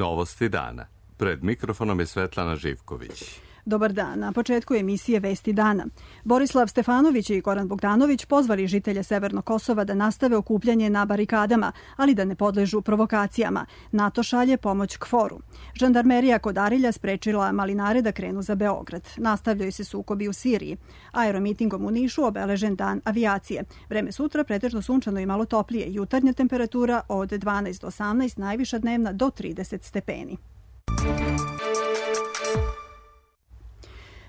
Novosti dana. Pred mikrofonom je Svetlana Živković. Dobar dan. Na početku emisije Vesti dana. Borislav Stefanović i Goran Bogdanović pozvali žitelje Severnog Kosova da nastave okupljanje na barikadama, ali da ne podležu provokacijama. NATO šalje pomoć KFOR-u. Žandarmerija kod Arilja sprečila malinare da krenu za Beograd. Nastavljaju se sukobi u Siriji. Aeromitingom u Nišu obeležen dan avijacije. Vreme sutra pretežno sunčano i malo toplije. Jutarnja temperatura od 12 do 18, najviša dnevna do 30 stepeni.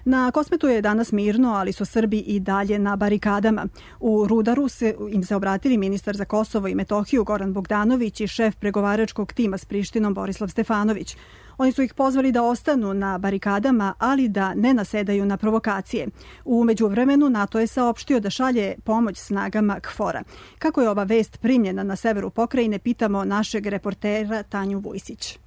Na Kosmetu je danas mirno, ali su Srbi i dalje na barikadama. U Rudaru im se obratili ministar za Kosovo i Metohiju Goran Bogdanović i šef pregovaračkog tima s Prištinom Borislav Stefanović. Oni su ih pozvali da ostanu na barikadama, ali da ne nasedaju na provokacije. U međuvremenu NATO je saopštio da šalje pomoć snagama KFOR-a. Kako je ova vest primljena na severu pokrajine, pitamo našeg reportera Tanju Vujsić.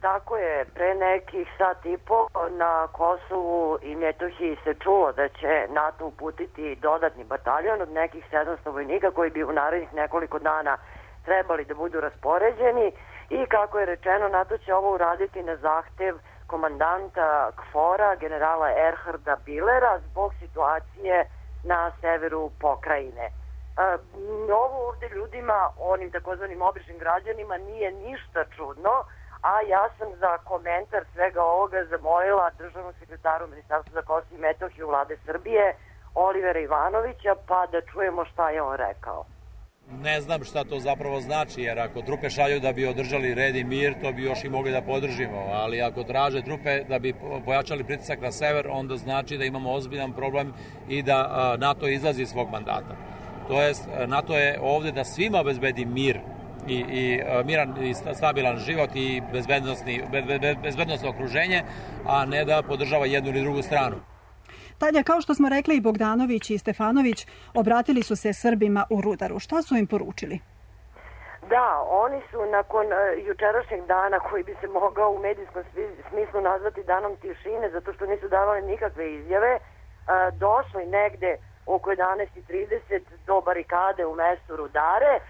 Tako je, pre nekih sat i po na Kosovu i Metohiji se čulo da će NATO uputiti dodatni bataljon od nekih 700 vojnika koji bi u narednih nekoliko dana trebali da budu raspoređeni i kako je rečeno, NATO će ovo uraditi na zahtev komandanta KFOR-a, generala Erharda Bilera, zbog situacije na severu pokrajine. Ovo ovde ljudima, onim takozvanim običnim građanima, nije ništa čudno, a ja sam za komentar svega ovoga zamolila državnog sekretaru Ministarstva za Kosovo i Metohiju Vlade Srbije, Olivera Ivanovića, pa da čujemo šta je on rekao. Ne znam šta to zapravo znači, jer ako trupe šalju da bi održali red i mir, to bi još i mogli da podržimo, ali ako traže trupe da bi pojačali pritisak na sever, onda znači da imamo ozbiljan problem i da NATO izlazi iz svog mandata. To jest, NATO je ovde da svima obezbedi mir i miran i stabilan život i bezbednosno okruženje, a ne da podržava jednu ili drugu stranu. Tanja, kao što smo rekli, i Bogdanović i Stefanović obratili su se Srbima u Rudaru. Šta su im poručili? Da, oni su nakon jučerašnjeg dana, koji bi se mogao u medijskom smislu nazvati danom tišine, zato što nisu davali nikakve izjave, došli negde oko 11:30 do barikade u mestu Rudare.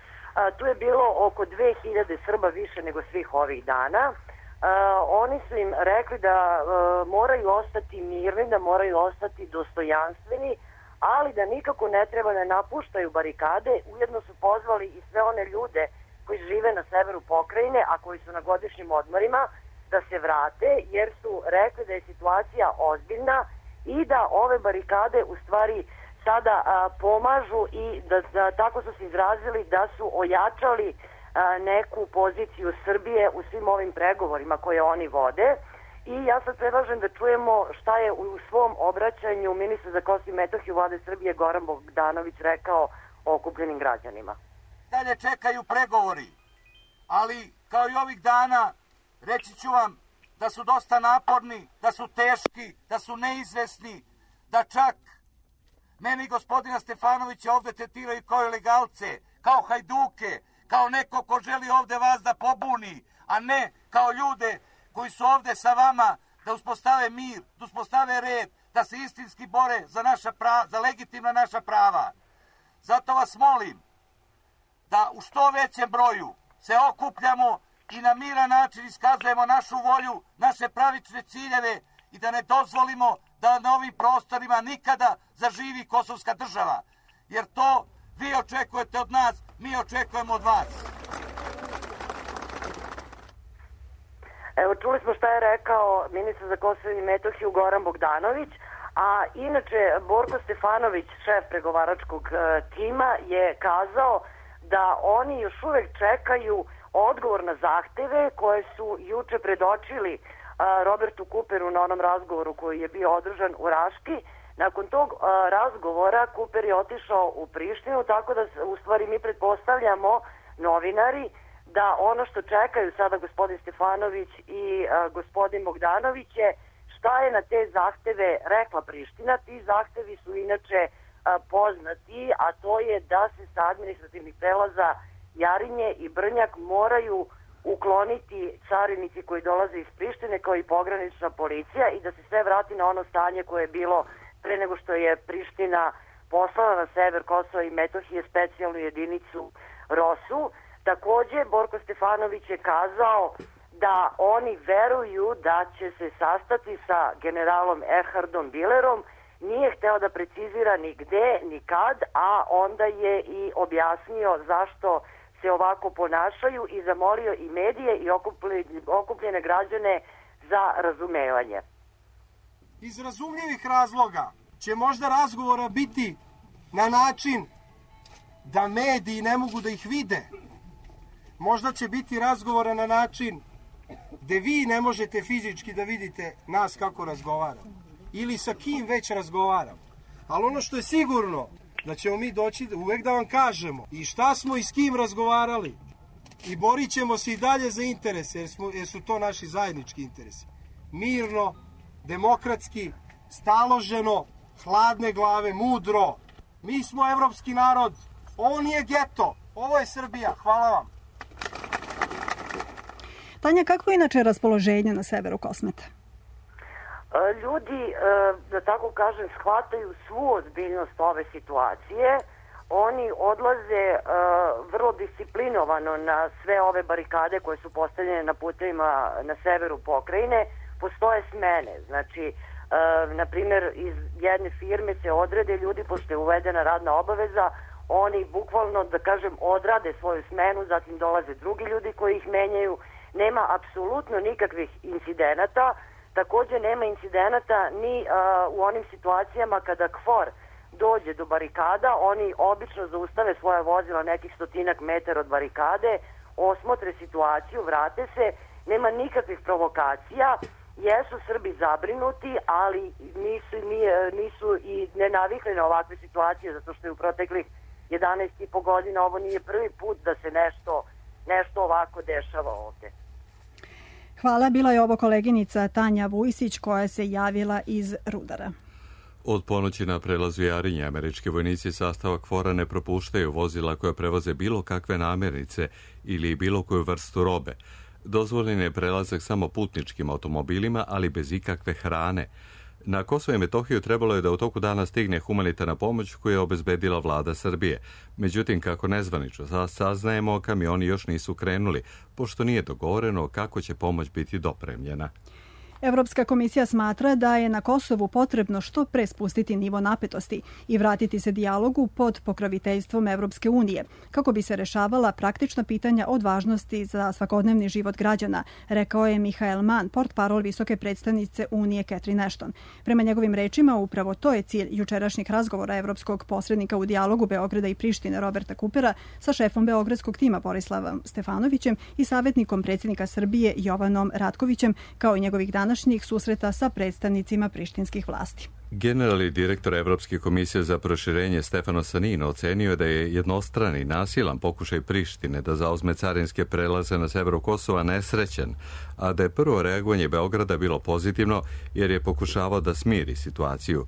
Tu je bilo oko 2000 Srba više nego svih ovih dana. Oni su im rekli da moraju ostati mirni, da moraju ostati dostojanstveni, ali da nikako ne treba da napuštaju barikade. Ujedno su pozvali i sve one ljude koji žive na severu pokrajine, a koji su na godišnjim odmorima, da se vrate, jer su rekli da je situacija ozbiljna i da ove barikade u stvari sada pomažu i da tako su se izrazili da su ojačali neku poziciju Srbije u svim ovim pregovorima koje oni vode. I ja sad predlažem da čujemo šta je u svom obraćanju ministar za Kosovo i Metohiju Vlade Srbije Goran Bogdanović rekao o okupljenim građanima. Dalje čekaju pregovori, ali kao i ovih dana reći ću vam da su dosta naporni, da su teški, da su neizvesni, da čak meni i gospodina Stefanovića ovde tretiraju kao ilegalce, kao hajduke, kao neko ko želi ovde vas da pobuni, a ne kao ljude koji su ovde sa vama da uspostave mir, da uspostave red, da se istinski bore za legitimna naša prava. Zato vas molim da u što većem broju se okupljamo i na miran način iskazujemo našu volju, naše pravične ciljeve i da ne dozvolimo da na ovim prostorima nikada zaživi kosovska država. Jer to vi očekujete od nas, mi očekujemo od vas. Evo, čuli smo šta je rekao ministar za Kosovo i Metohiju Goran Bogdanović, a inače Borko Stefanović, šef pregovaračkog tima, je kazao da oni još uvek čekaju odgovor na zahteve koje su juče predočili Robertu Kuperu na onom razgovoru koji je bio održan u Raški. Nakon tog razgovora Kuper je otišao u Prištinu, tako da u stvari mi pretpostavljamo, novinari, da ono što čekaju sada gospodin Stefanović i gospodin Bogdanović je šta je na te zahteve rekla Priština. Ti zahtevi su inače poznati, a to je da se sa administrativnih prelaza Jarinje i Brnjak moraju ukloniti carinici koji dolaze iz Prištine kao i pogranična policija i da se sve vrati na ono stanje koje je bilo pre nego što je Priština poslala na sever Kosova i Metohije specijalnu jedinicu ROSU. Takođe, Borko Stefanović je kazao da oni veruju da će se sastati sa generalom Erhardom Billerom. Nije hteo da precizira ni gde, ni kad, a onda je i objasnio zašto se ovako ponašaju i zamolio i medije i okupljene građane za razumevanje. Iz razumljivih razloga će možda razgovora biti na način da mediji ne mogu da ih vide. Možda će biti razgovora na način gde vi ne možete fizički da vidite nas kako razgovaramo ili sa kim već razgovaramo. Ali ono što je sigurno, da ćemo mi doći uvek da vam kažemo i šta smo i s kim razgovarali i borit ćemo se i dalje za interese, jer su to naši zajednički interesi. Mirno, demokratski, staloženo, hladne glave, mudro. Mi smo evropski narod, ovo nije geto, ovo je Srbija. Hvala vam. Tanja, kako je inače raspoloženje na severu Kosmeta? Ljudi, da tako kažem, shvataju svu ozbiljnost ove situacije. Oni odlaze vrlo disciplinovano na sve ove barikade koje su postavljene na putevima na severu pokrajine. Postoje smene. Znači, na primjer, iz jedne firme se odrede ljudi, pošto je uvedena radna obaveza, oni bukvalno, da kažem, odrade svoju smenu, zatim dolaze drugi ljudi koji ih menjaju. Nema apsolutno nikakvih incidenata. Takođe nema incidenata ni u onim situacijama kada KFOR dođe do barikada. Oni obično zaustave svoje vozila nekih 100 metara od barikade, osmotre situaciju, vrate se, nema nikakvih provokacija. Jesu Srbi zabrinuti, ali nisu i ne navikli na ovakve situacije, zato što je u proteklih 11,5 godina ovo nije prvi put da se nešto ovako dešava ovde. Hvala, bila je ovo koleginica Tanja Vujsić koja se javila iz Rudara. Od ponoći na prelazu Jarinje američki vojnici sastava KFOR-a ne propuštaju vozila koja prevoze bilo kakve namirnice ili bilo koju vrstu robe. Dozvoljen je prelazak samo putničkim automobilima, ali bez ikakve hrane. Na Kosovo i Metohiju trebalo je da u toku dana stigne humanitarna pomoć koju je obezbedila vlada Srbije. Međutim, kako nezvanično saznajemo, kamioni još nisu krenuli, pošto nije dogovoreno kako će pomoć biti dopremljena. Evropska komisija smatra da je na Kosovu potrebno što pre spustiti nivo napetosti i vratiti se dijalogu pod pokroviteljstvom Evropske unije, kako bi se rešavala praktična pitanja od važnosti za svakodnevni život građana, rekao je Michael Mann, portparol visoke predstavnice Unije Catherine Ashton. Prema njegovim rečima, upravo to je cilj jučerašnjeg razgovora evropskog posrednika u dijalogu Beograda i Prištine Roberta Kupera sa šefom beogradskog tima Borislavom Stefanovićem i savjetnikom predsjednika Srbije Jovanom Ratkovićem, kao i njegovih današnjih susreta sa predstavnicima prištinskih vlasti. Generalni direktor Evropske komisije za proširenje Stefano Sanino ocenio je da je jednostrani nasilan pokušaj Prištine da zauzme carinske prelaze na severu Kosova nesrećen, a da je prvo reagovanje Beograda bilo pozitivno jer je pokušavao da smiri situaciju.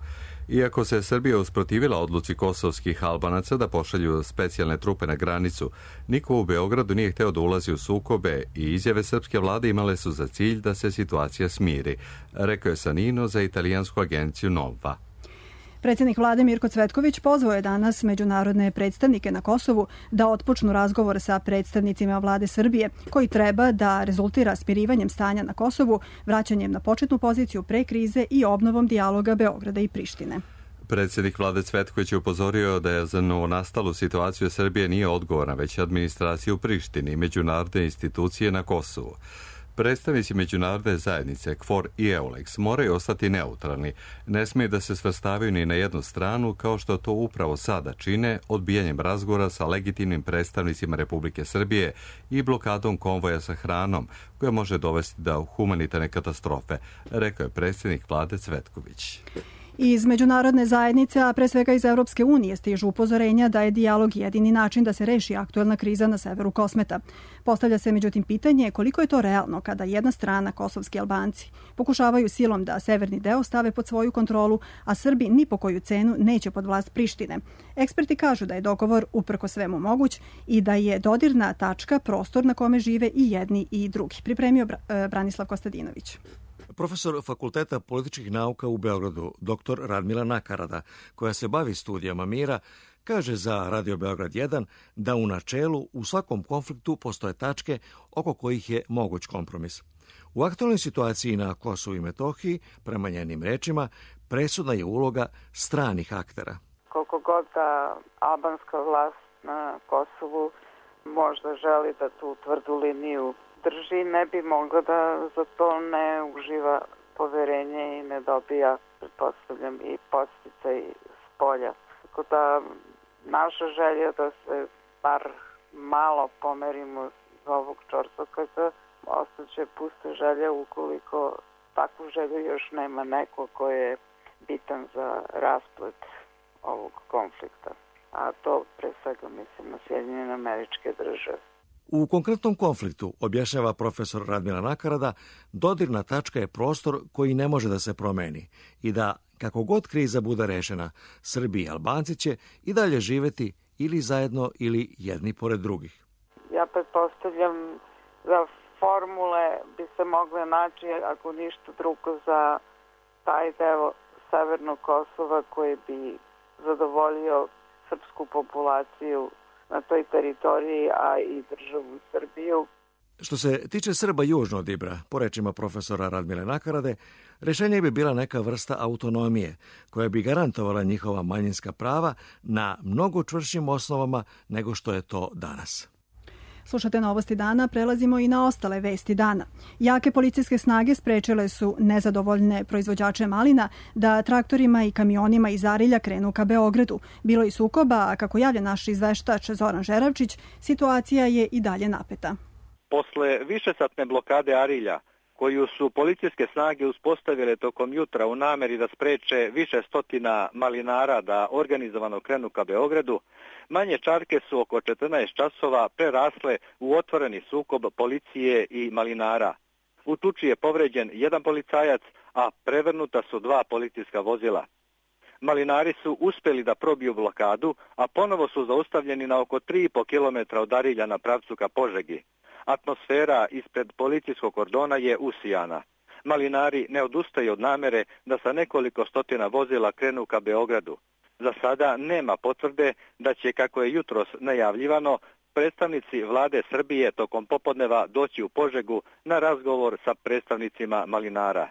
Iako se Srbija usprotivila odluci kosovskih Albanaca da pošalju specijalne trupe na granicu, niko u Beogradu nije hteo da ulazi u sukobe i izjave srpske vlade imale su za cilj da se situacija smiri, rekao je Sanino za italijansku agenciju Nova. Predsjednik vlade Mirko Cvetković pozvao je danas međunarodne predstavnike na Kosovu da otpočnu razgovor sa predstavnicima vlade Srbije, koji treba da rezultira smirivanjem stanja na Kosovu, vraćanjem na početnu poziciju pre krize i obnovom dijaloga Beograda i Prištine. Predsjednik vlade Cvetković je upozorio da je za novonastalu situaciju Srbije nije odgovorna, već administracija u Prištini i međunarodne institucije na Kosovu. Predstavnici međunarodne zajednice, KFOR i EULEX, moraju ostati neutralni, ne smije da se svrstavaju ni na jednu stranu, kao što to upravo sada čine odbijanjem razgovora sa legitimnim predstavnicima Republike Srbije i blokadom konvoja sa hranom, koja može dovesti do humanitarne katastrofe, rekao je predsjednik vlade Cvetković. Iz međunarodne zajednice, a pre svega iz Evropske unije, stižu upozorenja da je dijalog jedini način da se reši aktuelna kriza na severu Kosmeta. Postavlja se međutim pitanje koliko je to realno kada jedna strana, kosovski Albanci, pokušavaju silom da severni deo stave pod svoju kontrolu, a Srbi ni po koju cenu neće pod vlast Prištine. Eksperti kažu da je dogovor uprko svemu moguć i da je dodirna tačka prostor na kome žive i jedni i drugi. Pripremio Branislav Kostadinović. Profesor Fakulteta političkih nauka u Beogradu, dr. Radmila Nakarada, koja se bavi studijama mira, kaže za Radio Beograd 1 da u načelu u svakom konfliktu postoje tačke oko kojih je moguć kompromis. U aktualnoj situaciji na Kosovu i Metohiji, prema njenim rečima, presudna je uloga stranih aktera. Koliko god da albanska vlast na Kosovu možda želi da tu tvrdu liniju drži, ne bi mogla da za to ne uživa poverenje i ne dobija, pretpostavljam, i podsticaj s polja. Tako da naša želja da se bar malo pomerimo iz ovog čorsokaza, ostaće pusta želja ukoliko takvu želju još nema neko ko je bitan za rasplet ovog konflikta. A to pre svega mislim na Sjedinjene Američke Države. U konkretnom konfliktu, objašnjava profesor Radmila Nakarada, dodirna tačka je prostor koji ne može da se promeni i da, kako god kriza bude rešena, Srbi i Albanci će i dalje živeti ili zajedno ili jedni pored drugih. Ja pretpostavljam za formule bi se mogle naći, ako ništa drugo, za taj deo Severnog Kosova koji bi zadovoljio srpsku populaciju na toj teritoriji, a i državu Srbiju. Što se tiče Srba južno od Ibra, po rečima profesora Radmile Nakarade, rešenje bi bila neka vrsta autonomije koja bi garantovala njihova manjinska prava na mnogo čvršćim osnovama nego što je to danas. Slušate Novosti dana, prelazimo i na ostale vesti dana. Jake policijske snage sprečile su nezadovoljne proizvođače malina da traktorima i kamionima iz Arilja krenu ka Beogradu. Bilo je sukoba, a kako javlja naš izveštač Zoran Žeravčić, situacija je i dalje napeta. Posle višesatne blokade Arilja, koju su policijske snage uspostavile tokom jutra u nameri da spreče više stotina malinara da organizovano krenu ka Beogradu, manje čarke su oko 14 časova prerasle u otvoreni sukob policije i malinara. U tuči je povređen jedan policajac, a prevrnuta su 2 policijska vozila. Malinari su uspeli da probiju blokadu, a ponovo su zaustavljeni na oko 3,5 km od Arilja na pravcu ka Požegi. Atmosfera ispred policijskog kordona je usijana. Malinari ne odustaju od namere da sa nekoliko stotina vozila krenu ka Beogradu. Za sada nema potvrde da će, kako je jutros najavljivano, predstavnici vlade Srbije tokom popodneva doći u Požegu na razgovor sa predstavnicima malinara.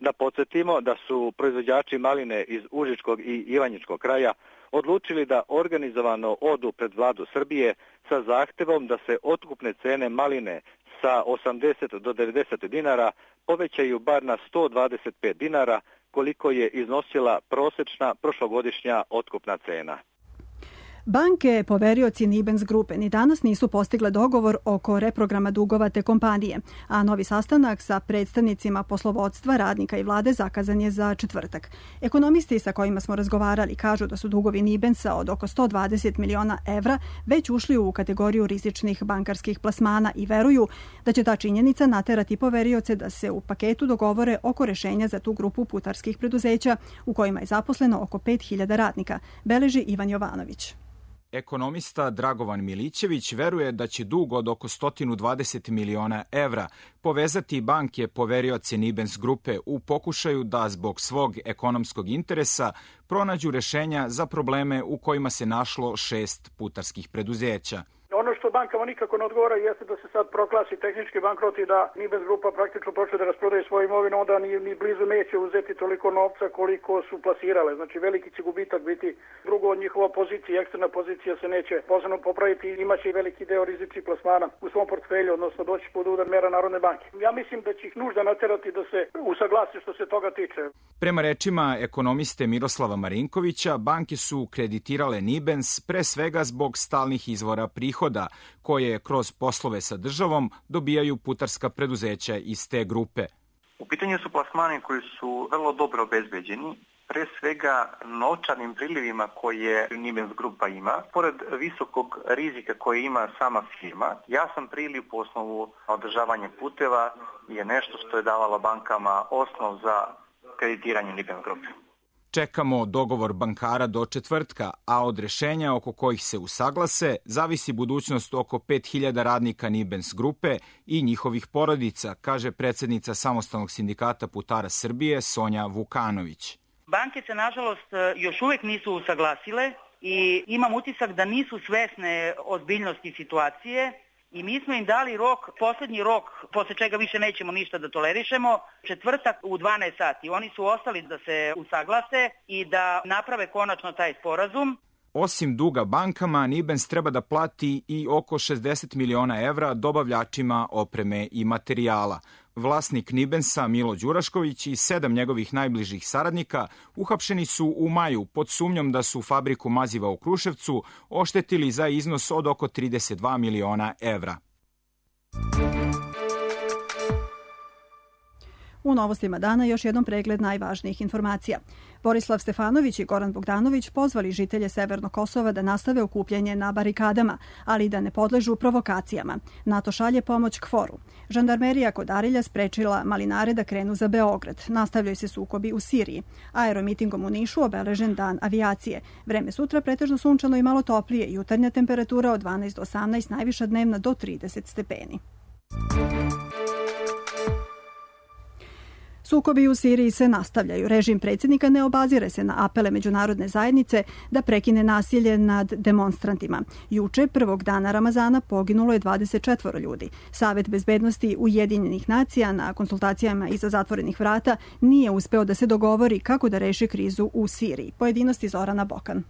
Da podsjetimo da su proizvođači maline iz Užičkog i Ivanjičkog kraja odlučili da organizovano odu pred vladu Srbije sa zahtevom da se otkupne cene maline sa 80 do 90 dinara povećaju bar na 125 dinara, koliko je iznosila prosečna prošlogodišnja otkupna cena. Banke, poverioci Nibens grupe, ni danas nisu postigle dogovor oko reprograma dugova te kompanije, a novi sastanak sa predstavnicima poslovodstva, radnika i vlade zakazan je za četvrtak. Ekonomisti sa kojima smo razgovarali kažu da su dugovi Nibensa od oko 120 miliona evra već ušli u kategoriju rizičnih bankarskih plasmana i veruju da će ta činjenica naterati poverioce da se u paketu dogovore oko rešenja za tu grupu putarskih preduzeća u kojima je zaposleno oko 5.000 radnika, beleži Ivan Jovanović. Ekonomista Dragovan Milićević veruje da će dug od oko 120 miliona evra povezati banke poverioce Nibens grupe u pokušaju da zbog svog ekonomskog interesa pronađu rešenja za probleme u kojima se našlo 6 putarskih preduzeća. Ono što bankama nikako ne odgovara jeste da se sad proglasi tehnički bankrot i da Nibens grupa praktično počne da rasprodaje svoju imovinu, onda ni blizu neće uzeti toliko novca koliko su plasirale. Znači veliki će gubitak biti. Drugo, njihova pozicija, eksterna pozicija se neće posebno popraviti i imaće i veliki deo rizičnih plasmana u svom portfelju, odnosno doći pod udar mera Narodne banke. Ja mislim da će ih nužda naterati da se usaglasi što se toga tiče. Prema rečima ekonomiste Miroslava Marinkovića, banke su kreditirale Nibens pre svega zbog stalnih izvora prihoda koje kroz poslove sa državom dobijaju putarska preduzeća iz te grupe. U pitanju su plasmani koji su vrlo dobro obezbeđeni, pre svega novčanim prilivima koje Nibens grupa ima. Pored visokog rizika koje ima sama firma, jasan priliv po osnovu održavanja puteva je nešto što je davala bankama osnov za kreditiranje Nibens grupe. Čekamo dogovor bankara do četvrtka, a od rešenja oko kojih se usaglase zavisi budućnost oko 5000 radnika Nibens grupe i njihovih porodica, kaže predsednica Samostalnog sindikata putara Srbije Sonja Vukanović. Banke se, nažalost, još uvek nisu usaglasile i imam utisak da nisu svesne ozbiljnosti situacije i mi smo im dali rok, poslednji rok, posle čega više nećemo ništa da tolerišemo, četvrtak u 12 sati. Oni su ostali da se usaglase i da naprave konačno taj sporazum. Osim duga bankama, Nibens treba da plati i oko 60 miliona evra dobavljačima opreme i materijala. Vlasnik Nibensa, Milo Đurašković, i 7 njegovih najbližih saradnika uhapšeni su u maju pod sumnjom da su fabriku maziva u Kruševcu oštetili za iznos od oko 32 miliona evra. U novostima dana još jednom pregled najvažnijih informacija. Borislav Stefanović i Goran Bogdanović pozvali žitelje Severnog Kosova da nastave okupljanje na barikadama, ali da ne podležu provokacijama. NATO šalje pomoć KFOR-u. Žandarmerija kod Arilja sprečila malinare da krenu za Beograd. Nastavljaju se sukobi u Siriji. Aeromitingom u Nišu obeležen dan avijacije. Vreme sutra pretežno sunčano i malo toplije. Jutarnja temperatura od 12 do 18, najviša dnevna do 30 stepeni. Sukobi u Siriji se nastavljaju. Režim predsjednika ne obazire se na apele međunarodne zajednice da prekine nasilje nad demonstrantima. Juče, prvog dana Ramazana, poginulo je 24 ljudi. Savet bezbednosti Ujedinjenih nacija na konsultacijama iza zatvorenih vrata nije uspeo da se dogovori kako da reši krizu u Siriji. Pojedinosti Zorana Bokan.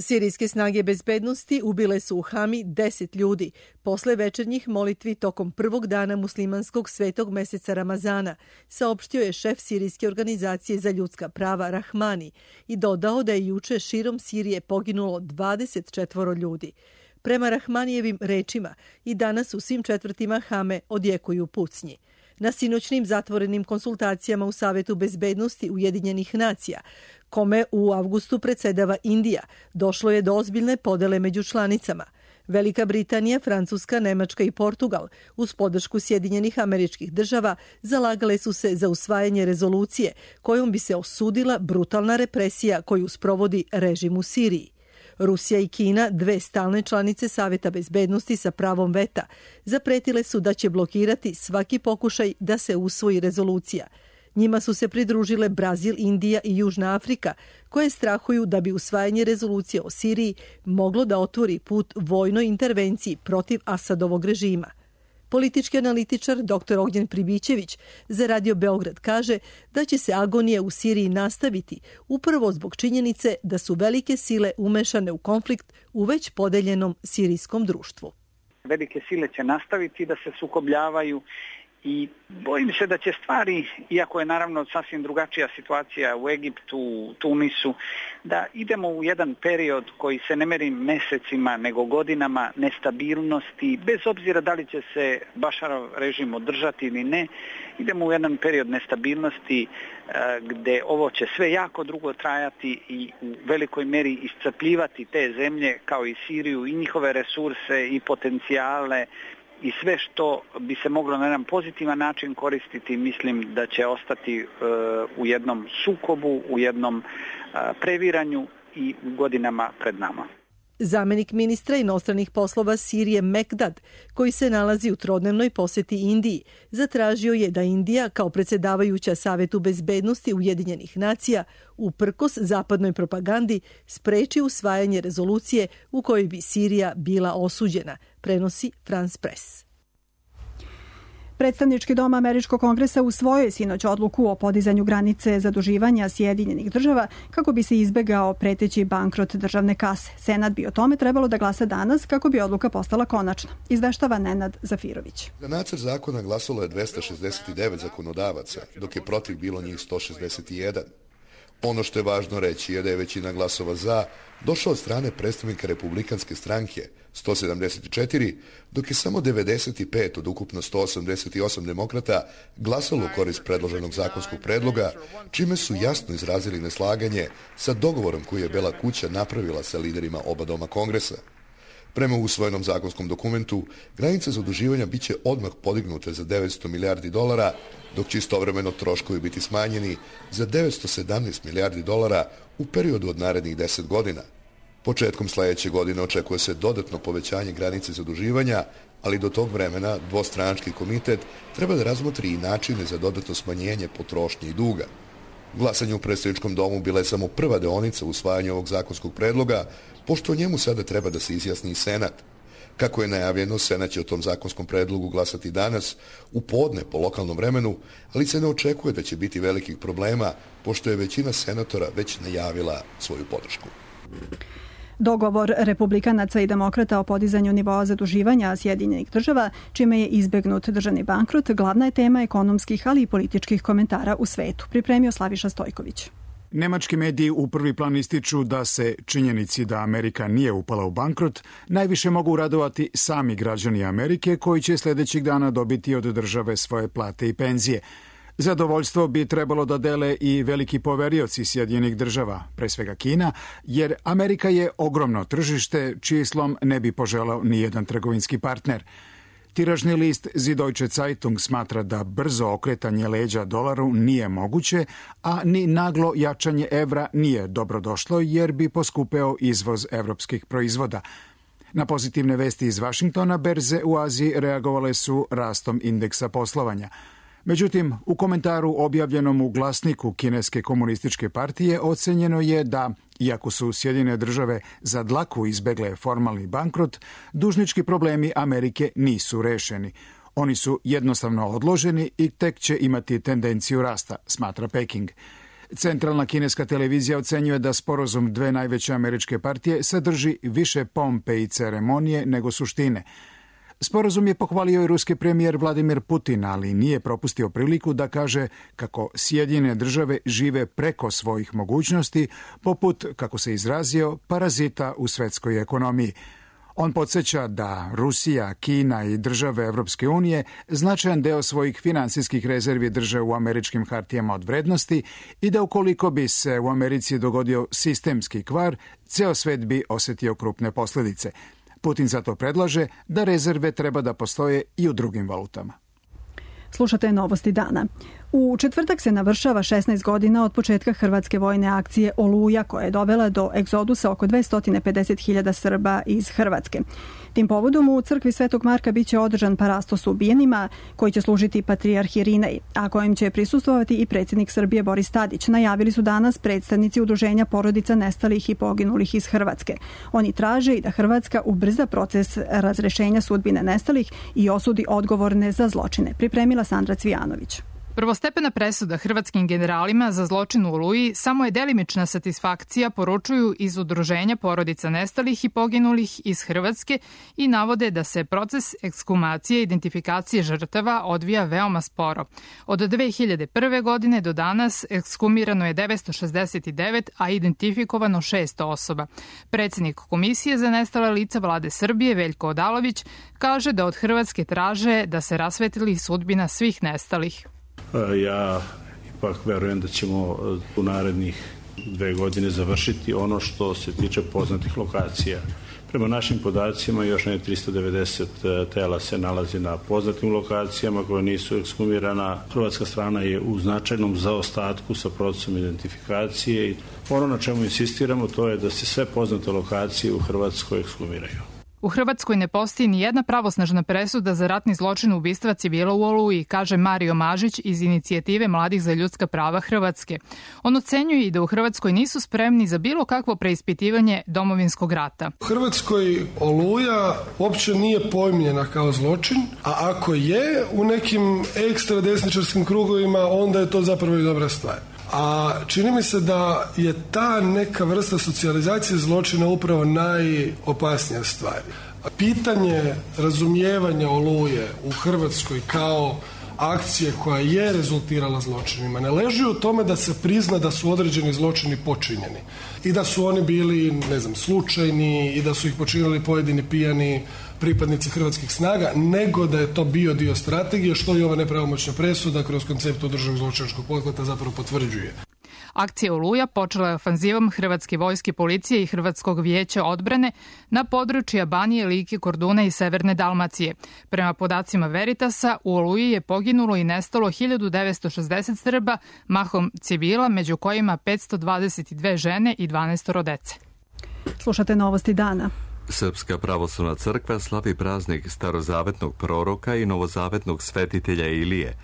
Sirijske snage bezbednosti ubile su u Hami 10 ljudi posle večernjih molitvi tokom prvog dana muslimanskog svetog meseca Ramazana, saopštio je šef Sirijske organizacije za ljudska prava Rahmani i dodao da je juče širom Sirije poginulo 24 ljudi. Prema Rahmanijevim rečima, i danas u svim četvrtima Hame odjekuju pucnji. Na sinoćnim zatvorenim konsultacijama u Savetu bezbednosti Ujedinjenih nacija, kome u avgustu predsedava Indija, došlo je do ozbiljne podele među članicama. Velika Britanija, Francuska, Nemačka i Portugal, uz podršku Sjedinjenih Američkih Država, zalagale su se za usvajanje rezolucije kojom bi se osudila brutalna represija koju sprovodi režim u Siriji. Rusija i Kina, dve stalne članice Saveta bezbednosti sa pravom veta, zapretile su da će blokirati svaki pokušaj da se usvoji rezolucija. Njima su se pridružile Brazil, Indija i Južna Afrika, koje strahuju da bi usvajanje rezolucije o Siriji moglo da otvori put vojnoj intervenciji protiv Asadovog režima. Politički analitičar dr. Ognjen Pribićević za Radio Beograd kaže da će se agonija u Siriji nastaviti upravo zbog činjenice da su velike sile umešane u konflikt u već podeljenom sirijskom društvu. Velike sile će nastaviti da se sukobljavaju i bojim se da će stvari, iako je naravno sasvim drugačija situacija u Egiptu, u Tunisu, da idemo u jedan period koji se ne meri mesecima nego godinama nestabilnosti, bez obzira da li će se Bašarov režim održati ili ne, idemo u jedan period nestabilnosti gde ovo će sve jako dugo trajati i u velikoj meri iscrpljivati te zemlje kao i Siriju i njihove resurse i potencijale i sve što bi se moglo na jedan pozitivan način koristiti, mislim da će ostati u jednom sukobu, u jednom previranju i u godinama pred nama. Zamenik ministra inostranih poslova Sirije Mekdad, koji se nalazi u trodnevnoj poseti Indiji, zatražio je da Indija, kao predsjedavajuća Savetu bezbednosti Ujedinjenih nacija, uprkos zapadnoj propagandi, spreči usvajanje rezolucije u kojoj bi Sirija bila osuđena, prenosi France Press. Predstavnički dom Američkog kongresa usvojio je sinoć odluku o podizanju granice zaduživanja Sjedinjenih država kako bi se izbegao preteći bankrot državne kase. Senat bi o tome trebalo da glasa danas kako bi odluka postala konačna. Izveštava Nenad Zafirović. Za nacrt zakona glasalo je 269 zakonodavaca, dok je protiv bilo njih 161. Ono što je važno reći je da je većina glasova za došla od strane predstavnika Republikanske stranke, 174, dok je samo 95 od ukupno 188 demokrata glasalo u korist predloženog zakonskog predloga, čime su jasno izrazili neslaganje sa dogovorom koji je Bela kuća napravila sa liderima oba doma Kongresa. Prema usvojenom zakonskom dokumentu, granice zaduživanja biće odmah podignute za 900 milijardi dolara, dok će istovremeno troškovi biti smanjeni za 917 milijardi dolara u periodu od narednih 10 godina. Početkom sledeće godine očekuje se dodatno povećanje granice zaduživanja, ali do tog vremena dvostranački komitet treba da razmotri i načine za dodatno smanjenje potrošnje i duga. Glasanje u predstavničkom domu bila je samo prva deonica u usvajanju ovog zakonskog predloga, pošto o njemu sada treba da se izjasni i Senat. Kako je najavljeno, Senat će o tom zakonskom predlogu glasati danas, u podne po lokalnom vremenu, ali se ne očekuje da će biti velikih problema, pošto je većina senatora već najavila svoju podršku. Dogovor republikanaca i demokrata o podizanju nivoa zaduživanja Sjedinjenih država, čime je izbegnut državni bankrot, glavna je tema ekonomskih, ali i političkih komentara u svetu. Pripremio Slaviša Stojković. Nemački mediji u prvi plan ističu da se činjenici da Amerika nije upala u bankrot najviše mogu radovati sami građani Amerike koji će sljedećih dana dobiti od države svoje plate i penzije. Zadovoljstvo bi trebalo da dele i veliki poverioci Sjedinjenih država, pre svega Kina, jer Amerika je ogromno tržište čiji slom ne bi poželao ni jedan trgovinski partner. Tiražni list Süddeutsche Zeitung smatra da brzo okretanje leđa dolaru nije moguće, a ni naglo jačanje evra nije dobrodošlo jer bi poskupeo izvoz evropskih proizvoda. Na pozitivne vesti iz Vašingtona berze u Aziji reagovale su rastom indeksa poslovanja. Međutim, u komentaru objavljenom u glasniku Kineske komunističke partije ocenjeno je da, iako su Sjedinjene države za dlaku izbegle formalni bankrot, dužnički problemi Amerike nisu rešeni. Oni su jednostavno odloženi i tek će imati tendenciju rasta, smatra Peking. Centralna kineska televizija ocenjuje da sporazum dve najveće američke partije sadrži više pompe i ceremonije nego suštine. Sporazum je pohvalio i ruski premijer Vladimir Putin, ali nije propustio priliku da kaže kako Sjedinjene države žive preko svojih mogućnosti, poput, kako se izrazio, parazita u svetskoj ekonomiji. On podsjeća da Rusija, Kina i države Evropske unije značajan deo svojih finansijskih rezervi drže u američkim hartijama od vrednosti i da ukoliko bi se u Americi dogodio sistemski kvar, ceo svet bi osetio krupne posljedice. Putin zato predlaže da rezerve treba da postoje i u drugim valutama. Slušate novosti dana. U četvrtak se navršava 16 godina od početka hrvatske vojne akcije Oluja, koja je dovela do egzodusa oko 250.000 Srba iz Hrvatske. Tim povodom u crkvi Svetog Marka biće održan parastos ubijenima koji će služiti patrijarh Irinej, a kojim će prisustvovati i predsjednik Srbije Boris Tadić. Najavili su danas predstavnici udruženja porodica nestalih i poginulih iz Hrvatske. Oni traže i da Hrvatska ubrza proces razrešenja sudbine nestalih i osudi odgovorne za zločine. Pripremila Sandra Cvijanović. Prvostepena presuda hrvatskim generalima za zločin u Oluji samo je delimična satisfakcija, poručuju iz udruženja porodica nestalih i poginulih iz Hrvatske i navode da se proces ekshumacije i identifikacije žrtava odvija veoma sporo. Od 2001. godine do danas ekshumirano je 969, a identifikovano 600 osoba. Predsjednik Komisije za nestala lica Vlade Srbije, Veljko Odalović, kaže da od Hrvatske traže da se rasvetli sudbina svih nestalih. Ja ipak verujem da ćemo u narednih 2 godine završiti ono što se tiče poznatih lokacija. Prema našim podacima još ne 390 tela se nalazi na poznatim lokacijama koje nisu ekshumirana. Hrvatska strana je u značajnom zaostatku sa procesom identifikacije i ono na čemu insistiramo to je da se sve poznate lokacije u Hrvatskoj ekshumiraju. U Hrvatskoj ne postoji ni jedna pravosnažna presuda za ratni zločin ubistva civila u Oluji, kaže Mario Mažić iz inicijative Mladih za ljudska prava Hrvatske. On ocenjuje i da u Hrvatskoj nisu spremni za bilo kakvo preispitivanje domovinskog rata. U Hrvatskoj Oluja uopće nije pojmljena kao zločin, a ako je u nekim ekstra desničarskim krugovima, onda je to zapravo i dobra stvar. A čini mi se da je ta neka vrsta socijalizacije zločina upravo najopasnija stvar. Pitanje razumijevanja Oluje u Hrvatskoj kao akcije koja je rezultirala zločinima ne leži u tome da se prizna da su određeni zločini počinjeni i da su oni bili, slučajni i da su ih počinili pojedini pijani pripadnici hrvatskih snaga, nego da je to bio dio strategije, što i ova nepravomoćna presuda kroz koncept održavog zločinačkog pothvata zapravo potvrđuje. Akcija Oluja počela je ofanzivom Hrvatske vojske, policije i Hrvatskog vijeća odbrane na područja Banije, Like, Korduna i Severne Dalmacije. Prema podacima Veritasa, u Oluji je poginulo i nestalo 1960 Srba, mahom civila, među kojima 522 žene i 12 dece. Slušate Novosti dana. Srpska pravoslavna crkva slavi praznik starozavetnog proroka i novozavetnog svetitelja Ilije.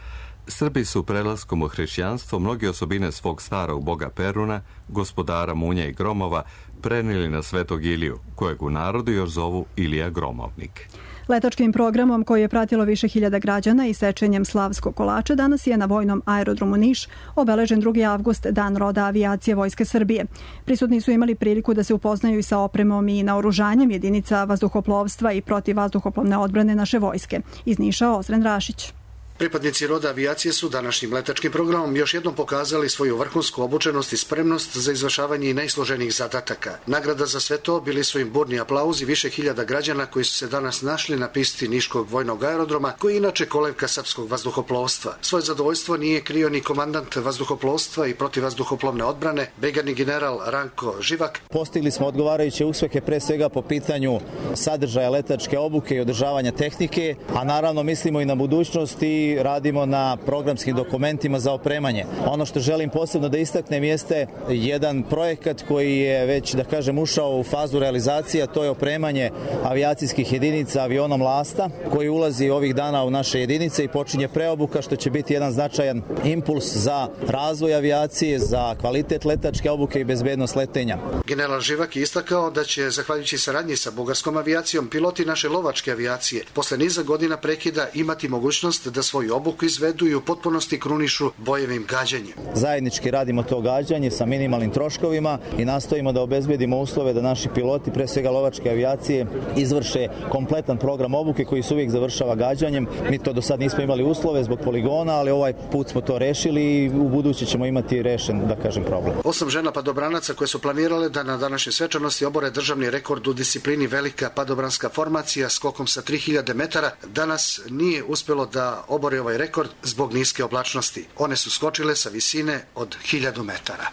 Srbi su prelaskom u hrišćanstvo mnoge osobine svog starog boga Peruna, gospodara munja i gromova, prenijeli na svetog Iliju, kojeg u narodu još zovu Ilija Gromovnik. Letačkim programom koji je pratilo više hiljada građana i sečenjem slavskog kolača danas je na vojnom aerodromu Niš obeležen 2. avgust, dan roda avijacije Vojske Srbije. Prisutni su imali priliku da se upoznaju i sa opremom i naoružanjem jedinica vazduhoplovstva i protivvazduhoplovne odbrane naše vojske. Iz Niša Ozren Rašić. Pripadnici roda avijacije su današnjim letačkim programom još jednom pokazali svoju vrhunsku obučenost i spremnost za izvršavanje i najsloženijih zadataka. Nagrada za sve to bili su im burni aplauzi više hiljada građana koji su se danas našli na pisti Niškog vojnog aerodroma, koji je inače kolevka srpskog vazduhoplovstva. Svoje zadovoljstvo nije krio ni komandant vazduhoplovstva i protivvazduhoplovne odbrane, brigadni general Ranko Živak. Postigli smo odgovarajuće uspehe pre svega po pitanju sadržaja letačke obuke i održavanja tehnike, a naravno mislimo i na budućnost i radimo na programskim dokumentima za opremanje. Ono što želim posebno da istaknem jeste jedan projekat koji je već, da kažem, ušao u fazu realizacije, a to je opremanje avijacijskih jedinica avionom Lasta, koji ulazi ovih dana u naše jedinice i počinje preobuka, što će biti jedan značajan impuls za razvoj avijacije, za kvalitet letačke obuke i bezbednost letenja. General Živak je istakao da će, zahvaljujući saradnji sa bugarskom avijacijom, piloti naše lovačke avijacije posle niza godina prekida imati mogućnost da svoju obuku izvedu i u potpunosti krunišu bojevim gađanjem. Zajednički radimo to gađanje sa minimalnim troškovima i nastojimo da obezbedimo uslove da naši piloti, pre svega lovačke avijacije, izvrše kompletan program obuke koji se uvijek završava gađanjem. Mi to do sad nismo imali uslove zbog poligona, ali ovaj put smo to rešili i u buduće ćemo imati rešen, da kažem, problem. 8 žena padobranaca koje su planirale da na današnjoj svečanosti obore državni rekord u disciplini velika padobranska formacija skokom sa 3000 metara, danas nije uspelo da obore ovaj rekord zbog niske oblačnosti. One su skočile sa visine od 1000 metara.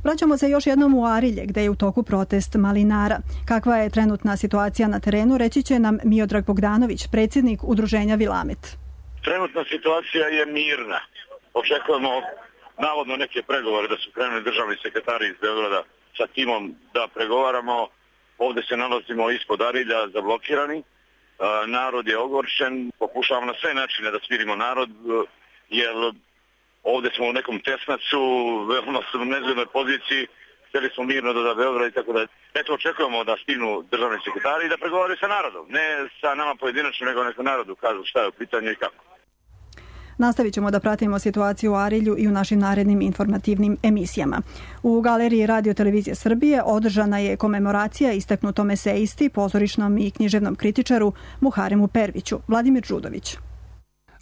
Vraćamo se još jednom u Arilje, gde je u toku protest malinara. Kakva je trenutna situacija na terenu, reći će nam Miodrag Bogdanović, predsjednik udruženja Vilamet. Trenutna situacija je mirna. Očekujemo navodno neke pregovore da su krenuli državni sekretari iz Beograda sa timom da pregovaramo. Ovdje se nalazimo ispod Arilja zablokirani. Narod je ogorčen, pokušavamo na sve načine da smirimo narod, jer ovdje smo u nekom tesnacu, veoma smo u nezgodnoj poziciji, htjeli smo mirno do Beograda i tako da. Eto, očekujemo da stignu državni sekretari i da pregovaraju sa narodom, ne sa nama pojedinačno, nego neko narodu kažu šta je u pitanju i kako. Nastavit ćemo da pratimo situaciju u Arilju i u našim narednim informativnim emisijama. U Galeriji Radio Televizije Srbije održana je komemoracija istaknutom esejisti, pozorišnom i književnom kritičaru Muharemu Perviću. Vladimir Đudović.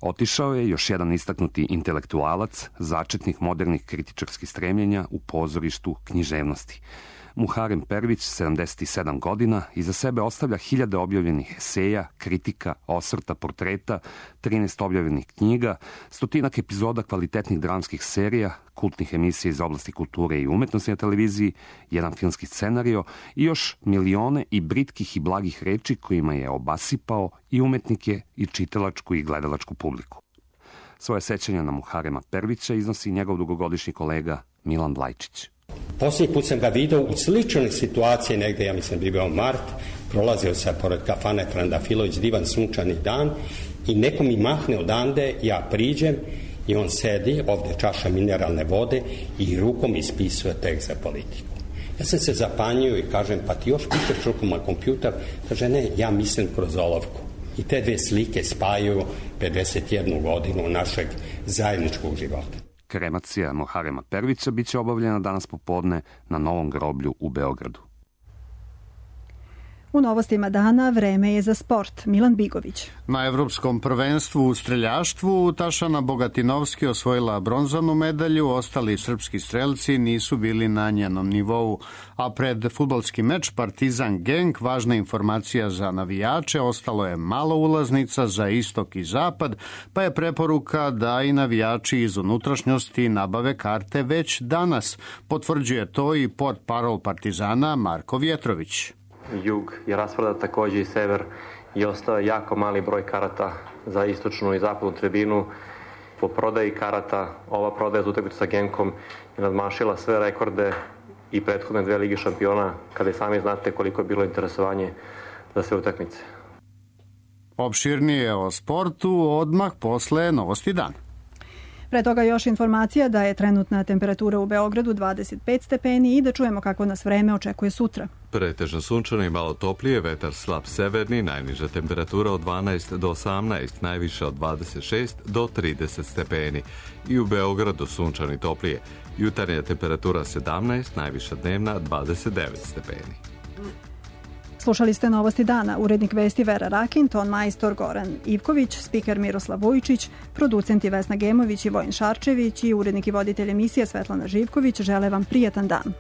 Otišao je još jedan istaknuti intelektualac, začetnik modernih kritičarskih stremljenja u pozorištu književnosti. Muharem Pervić, 77 godina, iza sebe ostavlja hiljade objavljenih eseja, kritika, osvrta, portreta, 13 objavljenih knjiga, stotinak epizoda kvalitetnih dramskih serija, kultnih emisija iz oblasti kulture i umetnosti na televiziji, jedan filmski scenario i još milione i britkih i blagih reči kojima je obasipao i umetnike i čitalačku i gledalačku publiku. Svoje sećanja na Muharema Pervića iznosi njegov dugogodišnji kolega Milan Blajčić. Posljednji put sam ga vidio u sličnoj situaciji, negdje, ja mislim, bi bio mart, prolazio sam pored kafane Trandafilović, divan sunčani dan i neko mi mahne odande, ja priđem i on sedi, ovdje čaša mineralne vode i rukom ispisuje tekst za politiku. Ja sam se zapanjio i kažem, pa ti još pišeš rukom na kompjuter? Kaže, ne, ja mislim kroz olovku. I te dve slike spajaju 51 godinu našeg zajedničkog života. Kremacija Muharema Pervića biće obavljena danas popodne na Novom groblju u Beogradu. U novostima dana vreme je za sport. Milan Bigović. Na evropskom prvenstvu u streljaštvu Tašana Bogatinovski osvojila bronzanu medalju, ostali srpski strelci nisu bili na njenom nivou. A pred fudbalski meč Partizan Genk, važna informacija za navijače, ostalo je malo ulaznica za istok i zapad, pa je preporuka da i navijači iz unutrašnjosti nabave karte već danas. Potvrđuje to i portparol Partizana Marko Vjetrović. Jug je rasprodat, takođe i sever, i ostao jako mali broj karata za istočnu i zapadnu tribinu. Po prodaji karata, ova prodaja za utakmicu sa Genkom je nadmašila sve rekorde i prethodne 2 Lige šampiona, kada i sami znate koliko je bilo interesovanje za sve utakmice. Opširnije o sportu odmah posle novosti dana. Pre toga još informacija da je trenutna temperatura u Beogradu 25 stepeni i da čujemo kako nas vreme očekuje sutra. Pretežno sunčano i malo toplije, vetar slab severni, najniža temperatura od 12 do 18, najviše od 26 do 30 stepeni. I u Beogradu sunčano i toplije, jutarnja temperatura 17, najviša dnevna 29 stepeni. Slušali ste novosti dana, urednik vesti Vera Rakin, ton majstor Goran Ivković, spiker Miroslav Vujičić, producenti Vesna Gemović i Vojin Šarčević i urednik i voditelj emisije Svetlana Živković žele vam prijatan dan.